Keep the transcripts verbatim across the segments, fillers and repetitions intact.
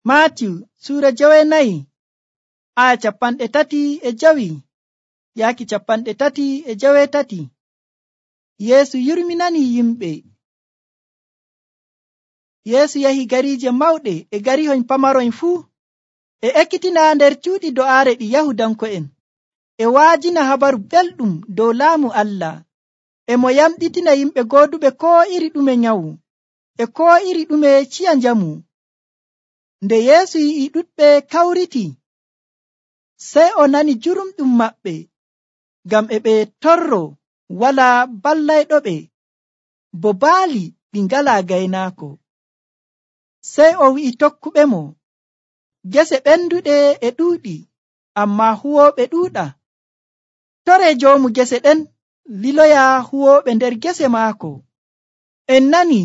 Maatiyu suura jowenayi aya capanɗe tati e jawi yaaki capanɗe tati e jawetati. Yeesu yurminani yimɓe. Yeesu yahi gariije mawɗe e garihoyn pamaroyn fuu, e ekkitina nder cuuɗi do'aare ɗi Yahudanko'en, e waajina habaru belɗum dow laamu Allah, e mo yamɗitina yimɓe gooduɓe koo iri ɗume nyawu e koo iri ɗume ciya njamu. Nde Yeesu yi'i ɗuɗɓe kawriti, sey o nani jurumɗum maɓɓe, ngam e ɓe torro walaa ballayɗoɓe, bo baali ɗi ngalaa gaynaako. Sey o wi'i tokkuɓemo, gese ɓenduɗe e ɗuuɗi, ammaa huwooɓe ɗuuɗa. Toree joomu gese ɗen liloya huwooɓe nder gese maako. En nani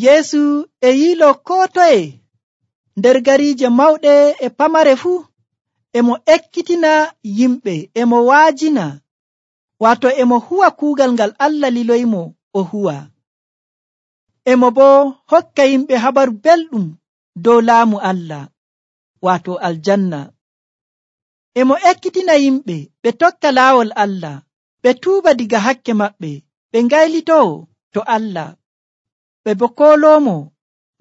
Yeesu e yiiloo koo toye nder gariije mawɗe e pamare fuu, emo ekkitina yimɓe, emo waajina, waato emo huwa kuugal ngal Allah liloyimo o huwa. Emo boo hokka yimɓe habaru belɗum dow laamu Allah, waato aljanna. Emo ekkitina yimɓe ɓe tokka laawol Allah, ɓe tuuba diga hakke maɓɓe, ɓe ngaylitoo to Allah, ɓe boo kooloomo,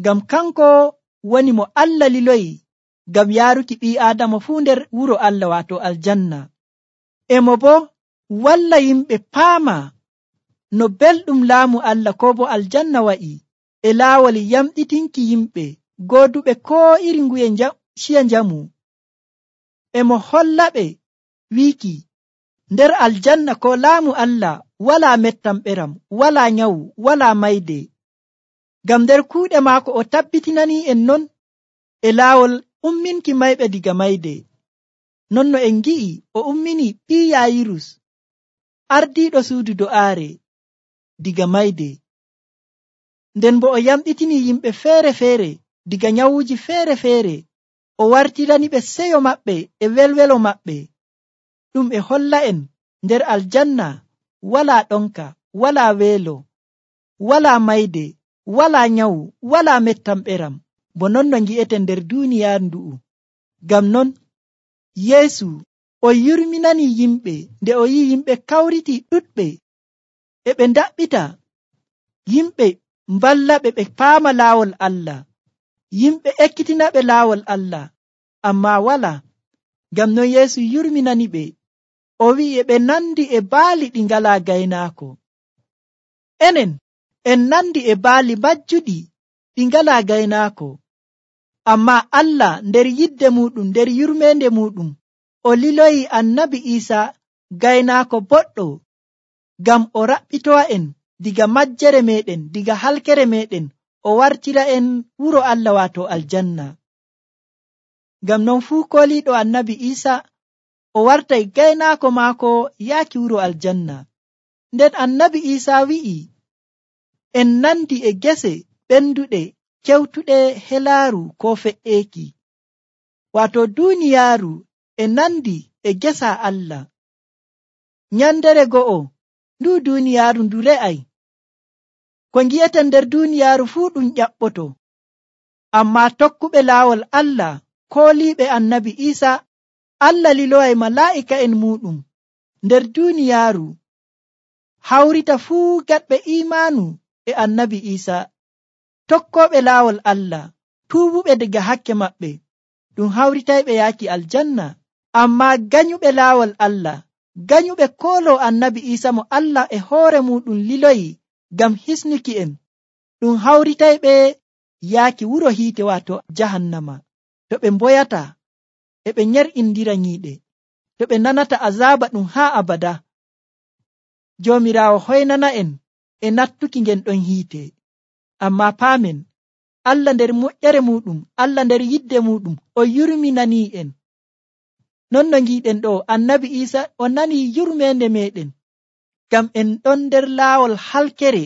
ngam kanko woni mo Allah liloyi ngam yaaruki ɓii Aadama fuu nder wuro Allah, waato aljanna. Emo boo walla yimɓe paama no belɗum laamu Allah koo boo aljanna wa'i, e laawol yamɗitinki yimɓe gooduɓe koo iri nguye ciya njamu. Emo hollaɓe wiiki nder aljanna ko laamu Allah walaa mettamɓeram, walaa nyawu, walaa mayde. Ngam nder kuuɗe maako o tabbitinanii en non e laawol umminki mayɓe diga mayde. Non no en ngi'i o ummini ɓii Yaayirus, ardiiɗo suudu do'aare, diga mayde. Nden bo o yamɗitini yimɓe feere-feere diga nyawuuji feere-feere, o wartirani ɓe seyo maɓɓe e welwelo maɓɓe. Ɗum e holla en nder aljanna walaa ɗonka, walaa weelo, walaa mayde, walaa nyawu, walaa mettamɓeram, bo non no ngi'eten nder duuniyaaru ndu'u. Ngam non Yeesu o yurminani yimɓe nde o yi'i yimɓe kawriti ɗuɗɓe, e ɓe ndaɓɓita, yimɓe mballaɓe ɓe paama laawol Allah, yimɓe ekkitinaɓe laawol Allah, ammaa walaa. Ngam non Yeesu yurminani ɓe, o wi'i e ɓe nandi e baali ɗi ngalaa gaynaako. Enen en nandi e baali majjuɗi ɗi ngalaa gaynaako, ammaa Allah nder yidde muɗum, nder yurmeende muɗum, o liloyi annabi Iisaa gaynaako boɗɗo, ngam o raɓɓitowa en diga majjere meɗen, diga halkere meɗen, o wartira en wuro Allah, waato aljanna. Ngam non fuu kooliiɗo annabi Iisaa o wartay gaynaako maako yaaki wuro aljanna. Nden annabi Iisaa wi'i en nandi e gese ɓenduɗe kewtuɗe helaaru koo fe'eeki, waato duuniyaaru e nandi e gesa Allah. Nyandere go'o ndu duuniyaaru ndu re'ay, ko ngi'eten nder duuniyaaru fuu ɗum ƴaɓɓoto, ammaa tokkuɓe laawol Allah kooliiɓe annabi Iisaa, Allah liloway malaa'ika'en muuɗum nder duuniyaaru hawrita fuu gaɗɓe iimaanu e annabi Iisaa, tokkooɓe laawol Allah, tuubuɓe daga hakke maɓɓe, ɗum hawritayɓe yaaki aljanna. Ammaa ganyuɓe laawol Allah, ganyuɓe kooloo annabi Iisaa mo Allah e hoore muɗum liloyi ngam hisnuki en, ɗum hawritayɓe yaaki wuro hiite, waato jahannama, to ɓe mboyata e ɓe nyer'indira nyiiɗe, to ɓe nanata azaaba ɗum haa abada. Joomiraawo hoynana en e nattuki ngen ɗon hiite. Ammaa paamen, Allah nder moƴƴere muɗum, Allah nder yidde muɗum, o yurminanii en. Non no ngiɗen ɗo, annabi Iisaa o nani yurmeende meɗen, ngam en ɗon nder laawol halkere.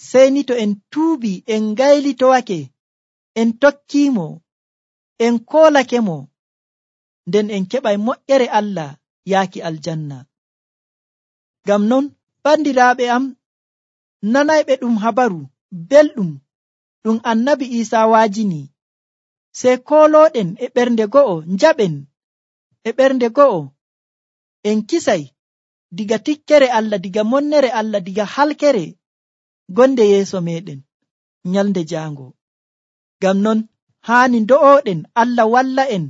Sey ni to en tuubi, en ngaylitowake, en tokkiimo, en koolake mo, nden en keɓay moƴƴere Allah yaaki aljanna. Ngam non bandiraaɓe am, nanayɓe ɗum habaru belɗum ɗum annabi Iisaa waajini, sey koolooɗen e ɓernde go'o njaɓen e ɓernde go'o en kisay diga tikkere Allah, diga monnere Allah, diga halkere gonde yeeso meɗen nyalde jaango. Ngam non haani ndo'oɗen Allah walla en,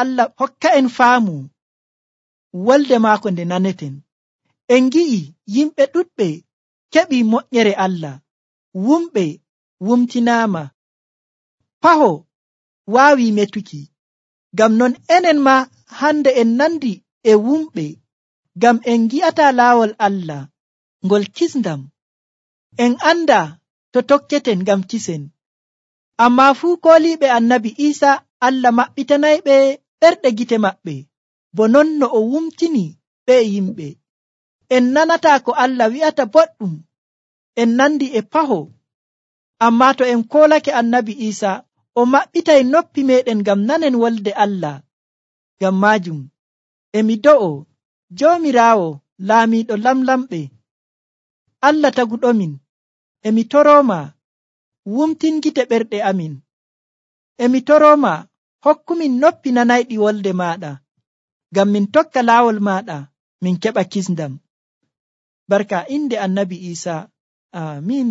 Allah hokka en faamu wolde maako nde naneten. En ngi'i yimɓe ɗuɗɓe keɓi moƴƴere Allah, wumɓe wumtinaama, paho waawi metuki. Ngam non enen ma hande en nandi e wumɓe, ngam en gi'ata laawol Allah ngol kisndam. En anda to tokketen ngam kisen. Ammaa fuu kooliiɓe annabi Iisa Allah maɓɓitanayɓe ɓerɗe gite maɓɓe, bo non no o wumtini ɓe yimɓe. En nanataa ko Allah wi'ata boɗɗum, en nandi e paho. Ammaa to en koolake annabi Iisa, o maɓɓitay noppi meɗen ngam nanen wolde Allah. Ngam maajum emi do'o Joomiraawo laamiiɗo lamlamɓe, Allah taguɗomin, emi torooma wumtingite ɓerɗe amin. Emi torooma hokkumin noppi nanayɗi wolde maaɗa, ngam min tokka laawol maaɗa min keɓa kisndam. Barka inde annabi Iisa. Amiin.